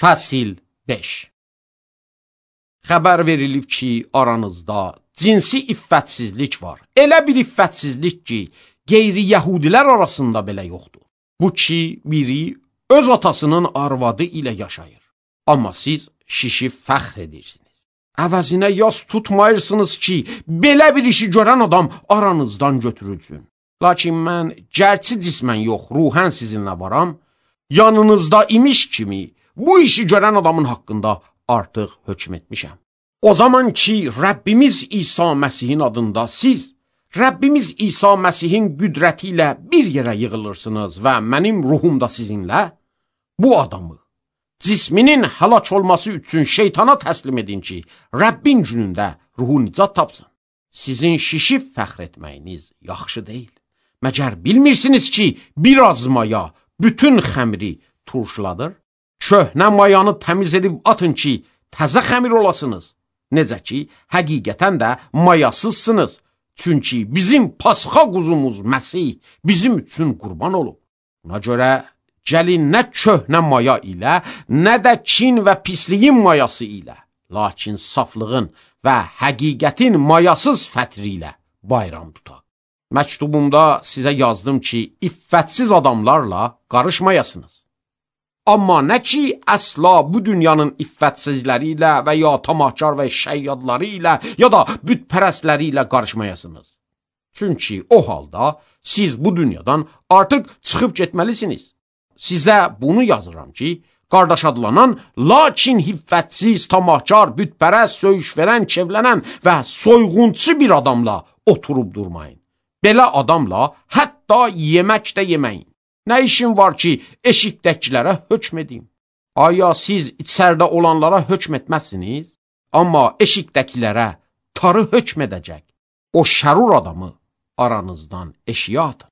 Fəsil 5. Xəbər verilib ki, aranızda cinsi iffətsizlik var. Elə bir iffətsizlik ki, qeyri-yəhudilər arasında belə yoxdur. Bu ki, biri öz atasının arvadı ilə yaşayır. Amma siz şişib fəxr edirsiniz. Əvəzinə yas tutmayırsınız ki, belə bir işi görən adam aranızdan götürülsün. Lakin mən gərçi cismən yox, ruhən sizinlə varam, yanınızda imiş kimi bu işi görən adamın haqqında artıq hökm etmişəm. O zaman ki, Rəbbimiz İsa Məsihin adında siz, Rəbbimiz İsa Məsihin qüdrəti ilə bir yerə yığılırsınız və mənim ruhumda sizinlə, bu adamı cisminin həlak olması üçün şeytana təslim edin ki, Rəbbin günündə ruhu nicat tapsın. Sizin şişib fəxr etməyiniz yaxşı deyil. Məgər bilmirsiniz ki, biraz maya bütün xəmiri turşladır? Köhnə mayanı təmiz edib atın ki, təzə xəmir olasınız. Necə ki, həqiqətən də mayasızsınız. Çünki bizim Pasxa quzumuz Məsih bizim üçün qurban olub. Buna görə gəlin nə köhnə maya ilə, nə də kin və pisliyin mayası ilə, lakin saflığın və həqiqətin mayasız fətri ilə bayram tutaq. Məktubumda sizə yazdım ki, iffətsiz adamlarla qarışmayasınız. Amma nə ki, əsla bu dünyanın iffətsizləri ilə və ya tamahkar və şəyyadları ilə ya da bütpərəstləri ilə qarışmayasınız. Çünki o halda siz bu dünyadan artıq çıxıb getməlisiniz. Sizə bunu yazıram ki, qardaş adlanan, lakin hiffətsiz, tamahkar, bütpərəst, söyüş verən, kevlənən və soyğunçu bir adamla oturub durmayın. Belə adamla hətta yemək də yeməyin. Nə işin var ki, eşikdəkilərə hökm edeyim? Aya siz içərdə olanlara hökm etməzsiniz? Amma eşikdəkilərə tarı hökm edəcək. O şərur adamı aranızdan eşiyə atın.